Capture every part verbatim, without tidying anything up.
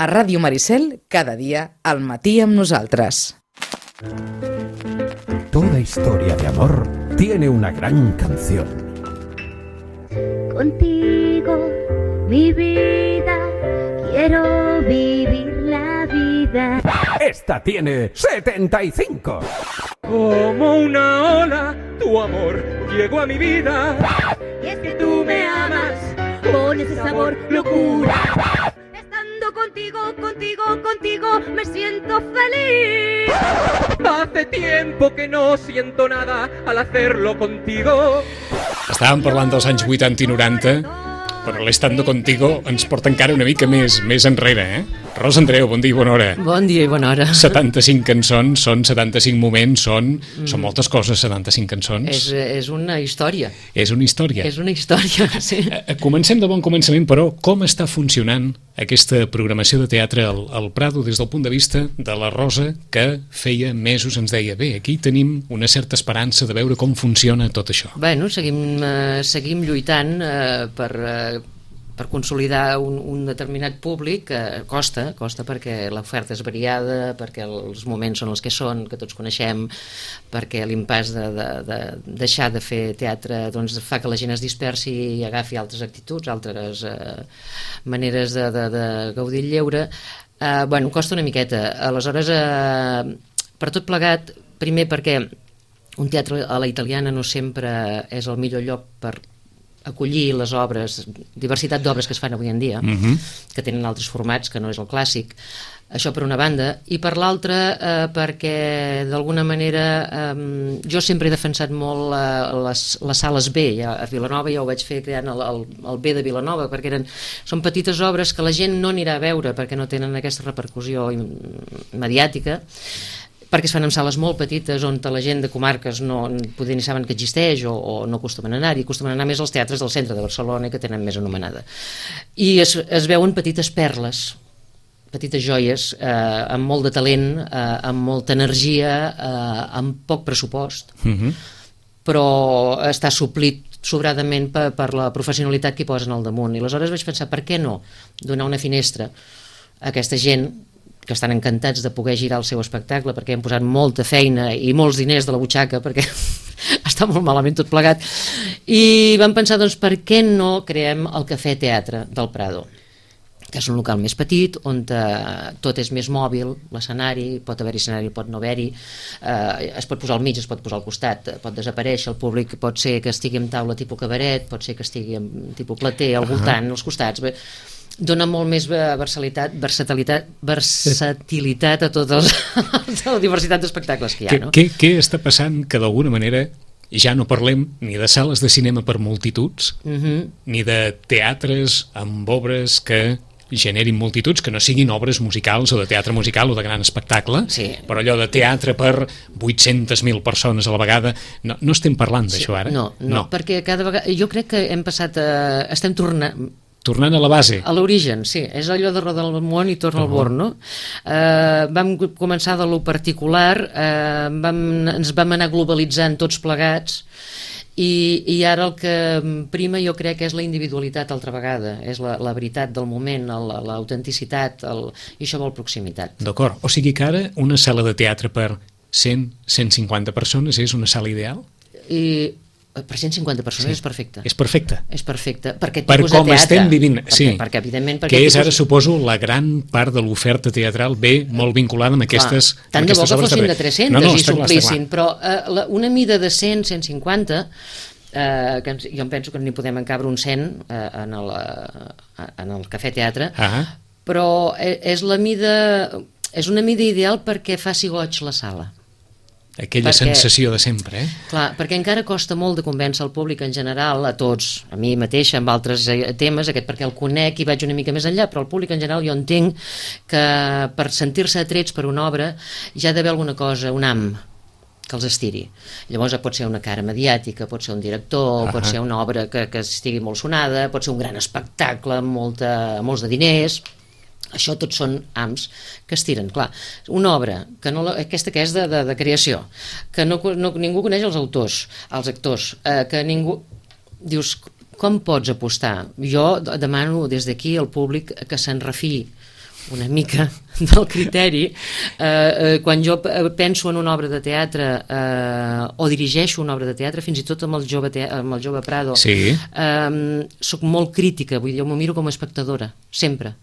A Ràdio Maricel, cada dia al matí amb nosaltres. Toda historia de amor tiene una gran canción. Contigo, mi vida, quiero vivir la vida. Esta tiene setenta y cinco. Como una ola, tu amor llegó a mi vida. Y es que tú me amas con ese sabor locura. Estando contigo, contigo, contigo, me siento feliz. Hace tiempo que no siento nada al hacerlo contigo. Estàvem parlant dels anys vuitanta i noranta, però l'Estando Contigo ens porta encara una mica més, més enrere, eh? Rosa Andreu, bon dia i bona hora. Bon dia i bona hora. setanta-cinc cançons, són setanta-cinc moments, són, mm. són moltes coses, setanta-cinc cançons. És, és una història. És una història. És una història, sí. Comencem de bon començament, però com està funcionant aquesta programació de teatre al, al Prado des del punt de vista de la Rosa, que feia mesos ens deia, bé, aquí tenim una certa esperança de veure com funciona tot això. Bueno, seguim, eh, seguim lluitant eh, per... Eh, per consolidar un, un determinat públic que costa, costa perquè l'oferta és variada, perquè els moments són els que són, que tots coneixem, perquè l'impàs de, de, de deixar de fer teatre doncs, fa que la gent es dispersi i agafi altres actituds, altres eh, maneres de, de, de gaudir el lleure. Eh, bueno, costa una miqueta. Aleshores, eh, per tot plegat, primer perquè un teatre a la italiana no sempre és el millor lloc per acollir les obres, diversitat d'obres que es fan avui en dia, uh-huh. que tenen altres formats, que no és el clàssic. Això per una banda, i per l'altra eh, perquè d'alguna manera eh, jo sempre he defensat molt eh, les, les sales B. Ja, a Vilanova ja ho vaig fer creant el, el, el B de Vilanova, perquè eren, són petites obres que la gent no anirà a veure perquè no tenen aquesta repercussió mediàtica, perquè es fan en sales molt petites on la gent de comarques no poder ni saben que existeix o, o no acostumen a anar-hi, acostumen a anar més als teatres del centre de Barcelona que tenen més anomenada. I es, es veuen petites perles, petites joies, eh, amb molt de talent, eh, amb molta energia, eh, amb poc pressupost, uh-huh. però està suplit sobradament per, per la professionalitat que hi posen al damunt. I aleshores vaig pensar, per què no donar una finestra a aquesta gent que estan encantats de poder girar el seu espectacle perquè han posat molta feina i molts diners de la butxaca perquè està molt malament tot plegat, i vam pensar, doncs, per què no creem el Cafè Teatre del Prado, que és un local més petit, on eh, tot és més mòbil, l'escenari, pot haver-hi escenari, pot no haver-hi, eh, es pot posar al mig, es pot posar al costat, pot desaparèixer, el públic pot ser que estigui en taula tipus cabaret, pot ser que estigui en tipus plater, al voltant, als costats, bé, dona molt més versatilitat, versatilitat, versatilitat a tota la diversitat d'espectacles que hi ha. No? Què, què està passant que d'alguna manera ja no parlem ni de sales de cinema per multituds, uh-huh. ni de teatres amb obres que generin multituds, que no siguin obres musicals o de teatre musical o de gran espectacle, sí. però allò de teatre per vuit-centes mil persones a la vegada, no, no estem parlant d'això ara? No, no, no, perquè cada vegada, jo crec que hem passat a, estem tornant Tornant a la base. A l'origen, sí. És allò de rodar el món i torna uh-huh. al born, no? Eh, vam començar de lo particular, eh, vam, ens vam anar globalitzant tots plegats, i, i ara el que prima jo crec que és la individualitat altra vegada, és la, la veritat del moment, l'autenticitat, el, i això vol proximitat. D'acord. O sigui que ara una sala de teatre per cent, cent cinquanta persones és una sala ideal? I... per cent cinquanta persones sí. és perfecte. És perfecte. És perfecte. Per, per com teatre, estem vivint. Perquè, sí. perquè, evidentment, perquè que és tipus... ara, suposo, la gran part de l'oferta teatral ve molt vinculada amb aquestes, clar, tant amb aquestes de bo que fossin de, de tres-centes no, no, i s'omplissin, però eh, la, una mida de cent, cent cinquanta, eh, que ens, jo em penso que n'hi podem encabre un cent eh, en, el, eh, en el Cafè Teatre, uh-huh. però és la mida, és una mida ideal perquè faci goig la sala. Aquella perquè, sensació de sempre, eh? Clar, perquè encara costa molt de convèncer el públic en general, a tots, a mi mateixa, amb altres temes, aquest perquè el conec i vaig una mica més enllà, però el públic en general jo entenc que per sentir-se atrets per una obra ja ha d'haver alguna cosa, un am, que els estiri. Llavors pot ser una cara mediàtica, pot ser un director, uh-huh. pot ser una obra que, que estigui molt sonada, pot ser un gran espectacle amb molta, molts de diners. Això tots són ams que estiren. Clar, una obra, que no la, aquesta que és de, de, de creació, que no, no, ningú coneix els autors, els actors, eh, que ningú... Dius, com pots apostar? Jo demano des d'aquí al públic que se'n refiï una mica del criteri. Eh, eh, quan jo penso en una obra de teatre eh, o dirigeixo una obra de teatre, fins i tot amb el jove, te amb el jove Prado, sí. eh, soc molt crítica, vull dir, jo m'ho miro com a espectadora, sempre.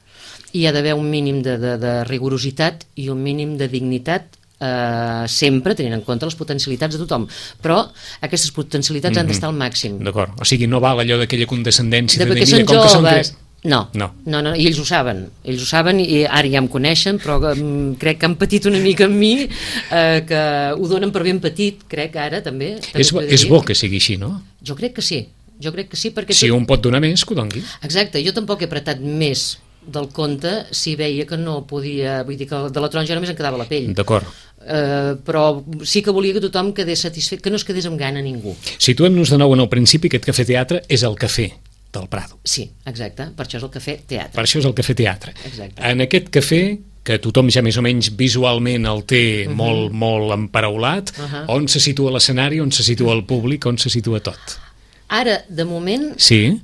I hi ha d'haver un mínim de, de, de rigorositat i un mínim de dignitat, eh, sempre tenint en compte les potencialitats de tothom, però aquestes potencialitats mm-hmm. han d'estar al màxim. D'acord, o sigui, no val allò d'aquella condescendència de, de, de dir, mira, com que són tres... No, no, no, no, i ells ho saben, ells ho saben i ara ja em coneixen, però um, crec que han patit una mica amb mi, eh, que ho donen per ben petit, crec ara també. És, és bo que sigui així, no? Jo crec que sí, jo crec que sí, perquè... Si tot... un pot donar més, que ho doni. Exacte, jo tampoc he apretat més del compte si veia que no podia, vull dir que de la taronja només em quedava la pell. D'acord. Uh, però sí que volia que tothom quedés satisfet, que no es quedés amb gana ningú. Situem-nos de nou en el principi, aquest Cafè Teatre és el cafè del Prado. Sí, exacte, per això és el Cafè Teatre. Per això és el Cafè Teatre. Exacte. En aquest cafè, que tothom ja més o menys visualment el té uh -huh. molt, molt emparaulat, uh -huh. on se situa l'escenari, on se situa el públic, on se situa tot? Ara, de moment... Sí.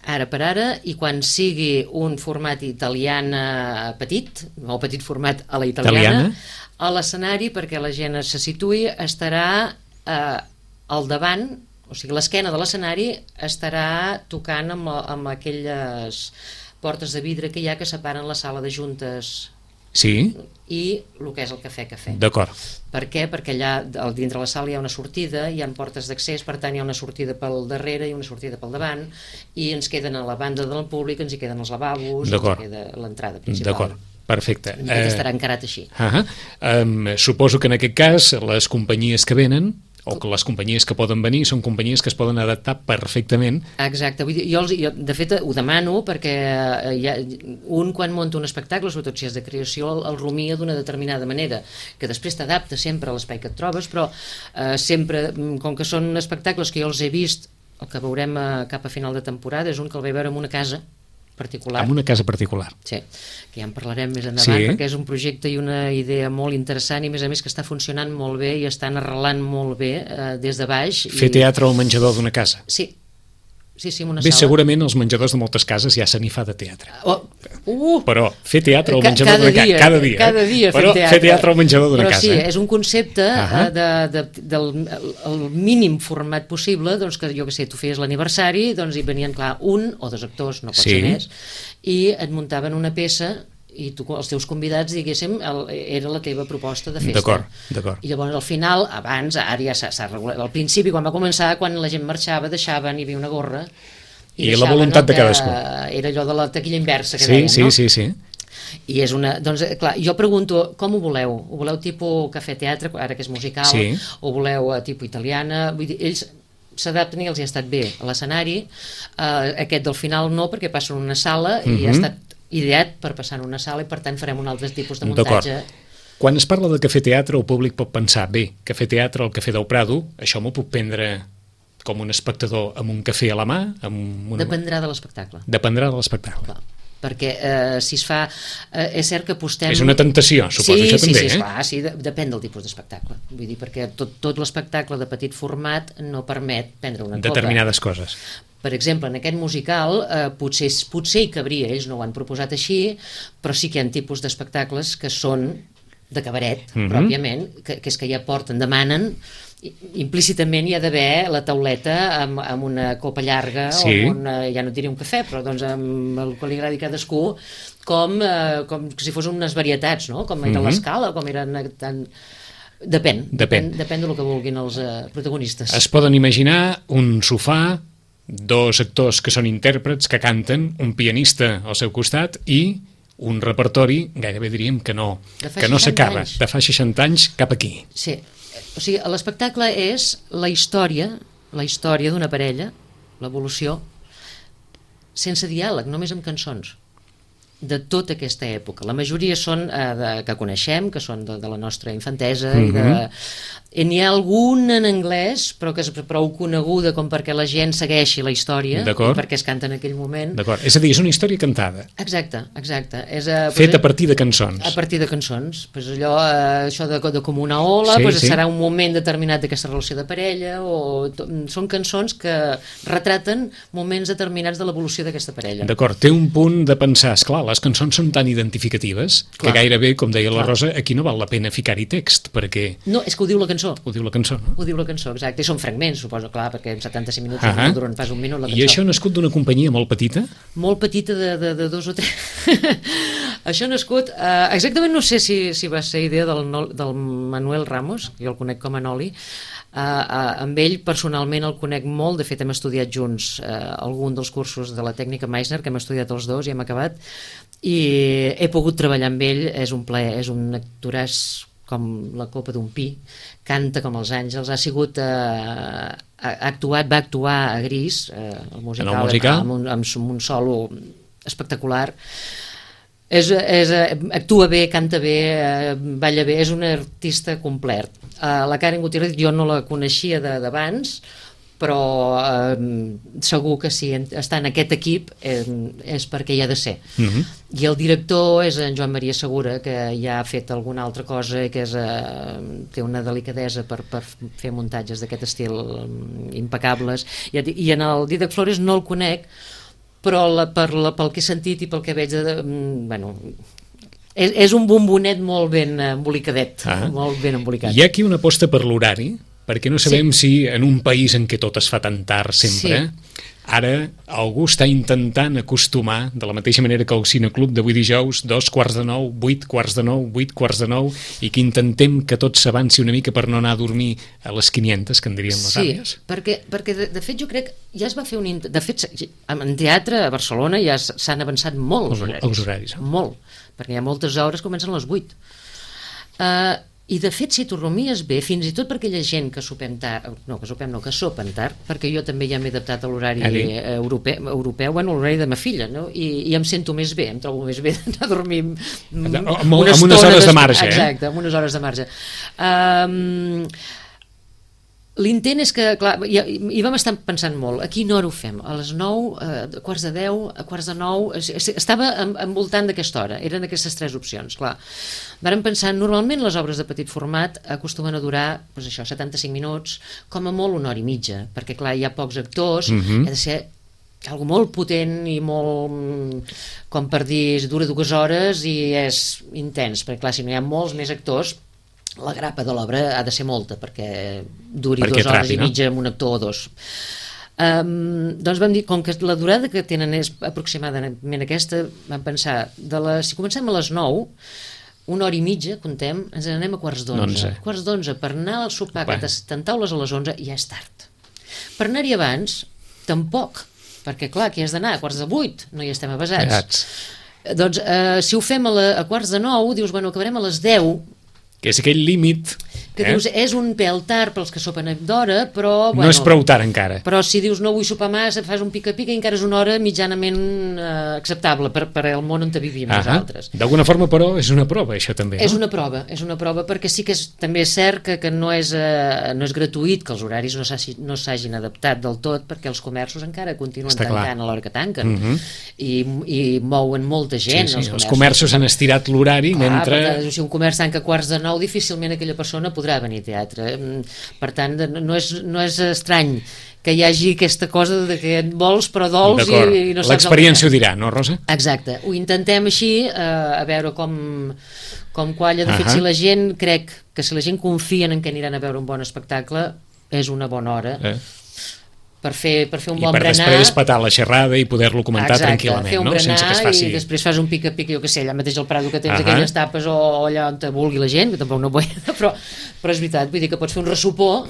Ara per ara, i quan sigui un format italiana petit, o petit format a la italiana, italiana? A l'escenari, perquè la gent se situï, estarà eh, al davant, o sigui, l'esquena de l'escenari estarà tocant amb, amb aquelles portes de vidre que hi ha que separen la sala de juntes sí. i el que és el cafè-cafè. D'acord. Per què? Perquè allà dintre la sala hi ha una sortida, hi ha portes d'accés, per tant hi ha una sortida pel darrere i una sortida pel davant, i ens queden a la banda del públic, ens hi queden els lavabos, ens hi queda l'entrada principal. D'acord. Perfecte. Eh, estarà encarat així. Uh -huh. um, suposo que en aquest cas les companyies que venen o que les companyies que poden venir són companyies que es poden adaptar perfectament. Exacte, vull dir, jo, els, jo de fet ho demano perquè hi ha, un quan munta un espectacle, sobretot si és de creació, el, el rumia d'una determinada manera, que després t'adapta sempre a l'espai que et trobes, però eh, sempre, com que són espectacles que jo els he vist, el que veurem a, cap a final de temporada és un que el vaig veure en una casa particular. En una casa particular. Sí, que ja en parlarem més endavant, sí. perquè és un projecte i una idea molt interessant i a més a més que està funcionant molt bé i estan arrelant molt bé eh, des de baix. Fer i... teatre al menjador d'una casa. Sí, sí, sí, en una bé, sala. segurament als menjadors de moltes cases ja se n'hi fa de teatre. Oh. Uh, però fer teatre al menjador d'una casa, cada dia, cada dia eh? però teatre. fer teatre al menjador d'una casa. Però sí, és un concepte uh -huh. de, de, del el mínim format possible, doncs que jo que sé, tu feies l'aniversari, doncs hi venien, clar, un o dos actors, no pot sí. ser més, i et muntaven una peça i tu, els teus convidats, diguéssim, el, era la teva proposta de festa. D'acord, d'acord. I llavors al final, abans, ara ja s'ha regulat, al principi quan va començar, quan la gent marxava, deixaven, hi havia una gorra, i, I la voluntat de cadascú. Era allò de la taquilla inversa que sí, deien, sí, no? Sí, sí, sí. I és una, doncs clar, jo pregunto com ho voleu? Ho voleu tipus cafè-teatre, ara que és musical, sí. o voleu tipus italiana? Vull dir, ells s'adapten i els hi ha estat bé a l'escenari, uh, aquest del final no, perquè passa en una sala uh -huh. i ha estat ideat per passar en una sala i per tant farem un altre tipus de muntatge. Quan es parla de cafè-teatre el públic pot pensar, bé, cafè-teatre, el Cafè del Prado, això m'ho puc prendre com un espectador amb un cafè a la mà? Amb una... Dependrà de l'espectacle. Dependrà de l'espectacle. Clar. Perquè eh, si es fa... Eh, és cert que apostem... És una tentació, suposo, sí, això sí, també, sí, eh? Sí, clar, sí, de, depèn del tipus d'espectacle. Vull dir, perquè tot, tot l'espectacle de petit format no permet prendre una copa. Determinades coses. Per exemple, en aquest musical eh, potser, potser hi cabria, ells no ho han proposat així, però sí que hi ha tipus d'espectacles que són de cabaret, mm-hmm. pròpiament, que, que és que ja porten, demanen, implícitament hi ha d'haver la tauleta amb, amb una copa llarga sí. o amb una, ja no et diria un cafè, però doncs amb el que li agradi a cadascú, com, eh, com si fos unes varietats, no? Com era mm-hmm. l'escala, com eren tan... Depèn, depèn, depèn, depèn del que vulguin els eh, protagonistes. Es poden imaginar un sofà, dos actors que són intèrprets, que canten, un pianista al seu costat i un repertori, gairebé diríem que no, que no s'acaba, de fa seixanta anys cap aquí. Sí, o sigui, l'espectacle és la història, la història d'una parella, l'evolució, sense diàleg, només amb cançons, de tota aquesta època. La majoria són eh, de, que coneixem, que són de, de la nostra infantesa, mm-hmm. i de, I n'hi ha algun en anglès, però que és prou coneguda com perquè la gent segueixi la història, i perquè es canta en aquell moment. D'acord, és a dir, és una història cantada. Exacte, exacte. És a, Fet a partir de cançons. A partir de cançons. Pues allò, eh, això de, de com una ola, sí, pues sí. Serà un moment determinat d'aquesta relació de parella, o to, són cançons que retraten moments determinats de l'evolució d'aquesta parella. D'acord, té un punt de pensar, esclar, les cançons són tan identificatives clar. Que gairebé, com deia la clar. Rosa, aquí no val la pena ficar-hi text, perquè... No, és que ho diu la cançó. Ho diu la cançó, no? Ho diu la cançó, exacte. I són fragments, suposo, clar, perquè en setanta-cinc minuts uh -huh. no duren pas un minut la cançó. I això ha nascut d'una companyia molt petita? Molt petita, de, de, de dos o tres. Això ha nascut... Eh, exactament no sé si, si va ser idea del, del Manuel Ramos, que jo el conec com a Noli. Uh, uh, amb ell personalment el conec molt, de fet hem estudiat junts uh, algun dels cursos de la tècnica Meissner, que hem estudiat els dos i hem acabat, i he pogut treballar amb ell, és un plaer, és un actoràs com la copa d'un pi, canta com els àngels, ha sigut eh, ha actuat, va actuar a Gris, eh, el musical, en el musical? Amb, un, amb un solo espectacular. És, és, actua bé, canta bé, eh, balla bé, és un artista complet. Eh, la Karen Gutiérrez jo no la coneixia d'abans, però eh, segur que si està en aquest equip eh, és perquè hi ha de ser. Uh-huh. I el director és en Joan Maria Segura, que ja ha fet alguna altra cosa, que és, eh, té una delicadesa per, per fer muntatges d'aquest estil impecables. I, i en el Dídac Flores no el conec, però la, per la, pel que he sentit i pel que veig, de, bueno, és, és un bombonet molt ben embolicadet, ah. molt ben embolicat. Hi ha aquí una aposta per l'horari, perquè no sabem sí. si en un país en què tot es fa tan tard sempre, sí. ara algú està intentant acostumar, de la mateixa manera que el Cineclub d'avui dijous, dos quarts de nou, vuit quarts de nou, vuit quarts de nou, i que intentem que tot s'avanci una mica per no anar a dormir a les quinientes, que en dirien les sí, àvies. Sí, perquè, perquè de, de fet jo crec, ja es va fer un... De fet, en teatre a Barcelona ja s'han avançat molt els horaris. Els horaris. Molt, perquè hi ha moltes hores que comencen a les vuit. Uh, I de fet, si t'ho rumies bé, fins i tot per aquella gent que sopem tard, no, que sopem no, que sopen tard, perquè jo també ja m'he adaptat a l'horari europeu, europeu, bueno, l'horari de ma filla, no? I, i em sento més bé, em trobo més bé d'anar a dormir una amb, amb unes hores de marge, eh? Exacte, amb unes hores de marge. Um, L'intent és que, clar, hi, hi vam estar pensant molt, a quina hora ho fem? A les nou, a quarts de deu, a quarts de nou... Estava envoltant d'aquesta hora, eren aquestes tres opcions, clar. Vàrem pensar, normalment les obres de petit format acostumen a durar, doncs això, setanta-cinc minuts, com a molt una hora i mitja, perquè, clar, hi ha pocs actors, uh-huh. ha de ser algo molt potent i molt, com per dir, dura dues hores i és intens, perquè, clar, si no hi ha molts més actors, la grapa de l'obra ha de ser molta perquè duri perquè dues hores trapi, i mitja no? amb un actor o dos. Um, doncs vam dir, com que la durada que tenen és aproximadament aquesta, vam pensar, de la, si comencem a les nou, una hora i mitja, contem, ens anem a quarts d'onze. Quarts d'onze, per anar al sopar, que t'en taules a les onze, ja és tard. Per anar-hi abans, tampoc, perquè clar, aquí has d'anar a quarts de vuit, no hi estem avasats. Grats. Doncs eh, si ho fem a, la, a quarts de nou, dius, bueno, acabarem a les deu, que és aquell límit que eh? dius, és un pèl tard pels que sopen d'hora, però... Bueno, no és prou tard encara. Però si dius no vull sopar massa, fas un pica-pica i encara és una hora mitjanament eh, acceptable per, per el món on vivim uh-huh. nosaltres. D'alguna forma, però, és una prova, això també, no? És una prova, és una prova, perquè sí que és, també és cert que, que no, és, eh, no és gratuït que els horaris no s'hagin no adaptat del tot, perquè els comerços encara continuen Està tancant clar. a l'hora que tanquen. Uh-huh. I, I mouen molta gent. Sí, sí, els, els comerços han estirat l'horari mentre... Perquè, si un comerç tanca a quarts de nou, difícilment aquella persona podrà venir a teatre. Per tant, no és, no és estrany que hi hagi aquesta cosa de que et vols però dols i, i no saps... L'experiència ho dirà, no, Rosa? Exacte. Ho intentem així, eh, a veure com, com qualla. De fet, uh-huh. si la gent, crec que si la gent confien en que aniran a veure un bon espectacle, és una bona hora. Eh. Per fer, per fer un I bon per berenar... després petar la xerrada i poder-lo comentar Exacte, tranquil·lament, no? Sense que es faci... i després fas un pica-pica, jo què sé, allà mateix al Prado que tens uh-huh. aquelles tapes o, o allà on te vulgui la gent, que tampoc no vull, però, però és veritat, vull dir que pots fer un ressupor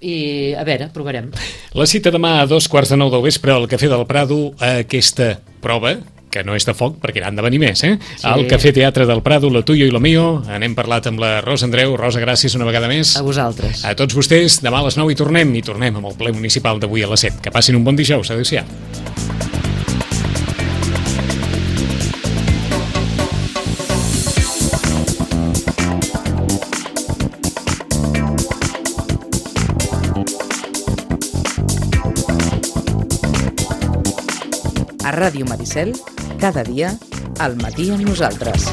i, a veure, provarem. La cita demà a dos quarts de nou del vespre al Cafè del Prado, a aquesta prova, que no és de foc, perquè n'han de venir més, eh? Sí. Al Cafè Teatre del Prado, lo tuyo i lo mío. N'hem parlat amb la Rosa Andreu. Rosa, gràcies una vegada més. A vosaltres. A tots vostès, demà a les nou hi tornem, i tornem amb el ple municipal d'avui a les set. Que passin un bon dijous. Adéu-siau. A Ràdio Maricel, cada dia, al matí amb nosaltres.